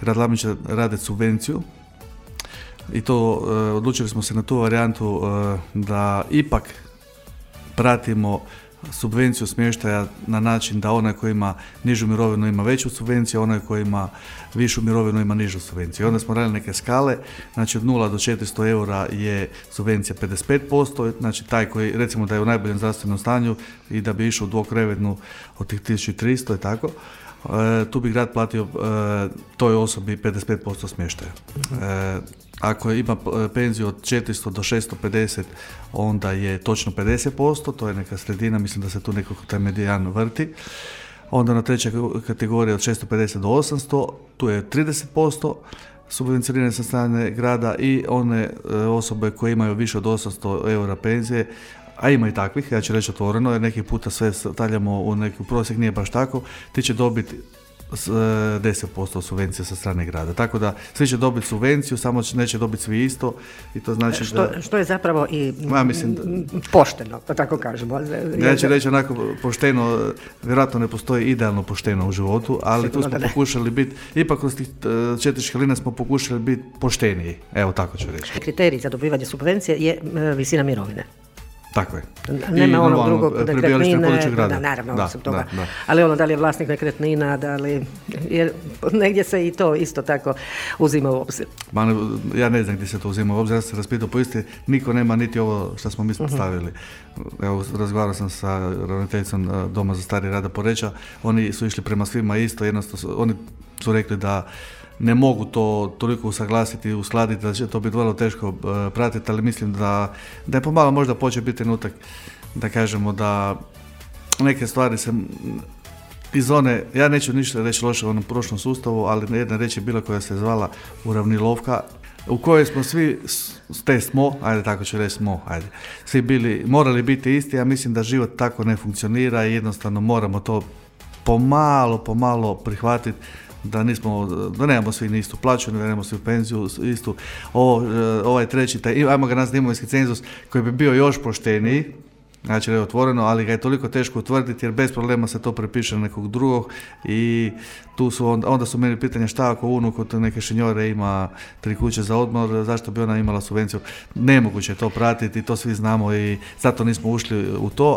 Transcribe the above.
grad Labin će raditi subvenciju i to odlučili smo se na tu varijantu da ipak pratimo subvenciju smještaja na način da onaj koji ima nižu mirovinu ima veću subvenciju, onaj koji ima višu mirovinu ima nižu subvenciju. Onda smo radili neke skale, znači od 0 do 400 eura je subvencija 55%, znači taj koji recimo da je u najboljem zdravstvenom stanju i da bi išao u dvokrevetnu od tih 1300 i tako, tu bi grad platio toj osobi 55% smještaja. Ako ima penziju od 400 do 650, onda je točno 50%, to je neka sredina, mislim da se tu nekako taj medijan vrti. Onda na treća kategorija od 650 do 800, tu je 30% subvencionirane sa strane grada i one osobe koje imaju više od 800 eura penzije, a ima i takvih, ja ću reći otvoreno, jer neki puta sve stavljamo u neki prosjek, nije baš tako, ti će dobiti 10% subvencije sa strane grada. Tako da svi će dobiti subvenciju, samo neće dobiti svi isto i to znači što je zapravo i pošteno, da tako kažemo. Ja ću reći onako pošteno, vjerojatno ne postoji idealno pošteno u životu, ali tu smo pokušali biti, ipak kroz tih 4 škalina smo pokušali biti pošteniji. Evo tako ću reći. Kriterij za dobivanje subvencije je visina mirovine. Tako je. Nema onog drugog nekretnine, naravno, osim toga. Ali ono da li je vlasnik nekretnina, da li, jer negdje se i to isto tako uzima u obzir. Ja ne znam gdje se to uzima u obzir, ja sam se raspitao po isti, niko nema niti ovo što smo mi stavili. Evo, razgovarao sam sa ravnateljicom Doma za stari Rada Poreča, oni su išli prema svima isto, jednostavno oni su rekli da ne mogu to toliko usaglasiti i uskladiti, da će to biti vrlo teško pratiti, ali mislim da je pomalo možda počeo biti trenutak da kažemo da neke stvari se iz one, ja neću ništa reći loše u onom prošlom sustavu, ali jedna reč je bila koja se zvala uravnilovka, u kojoj smo svi, tako ću reći svi morali biti isti, ja mislim da život tako ne funkcionira i jednostavno moramo to pomalo prihvatiti, da nemamo svi ni istu plaću, da nemamo svi penziju istu, ovaj treći, ajmo ga nazvati imovinski cenzus koji bi bio još pošteniji, znači je otvoreno, ali ga je toliko teško utvrditi jer bez problema se to prepiše na nekog drugog i tu su onda su meni pitanja šta ako unuk od neke šinjore ima 3 kuće za odmor, zašto bi ona imala subvenciju? Nemoguće je to pratiti, to svi znamo i zato nismo ušli u to.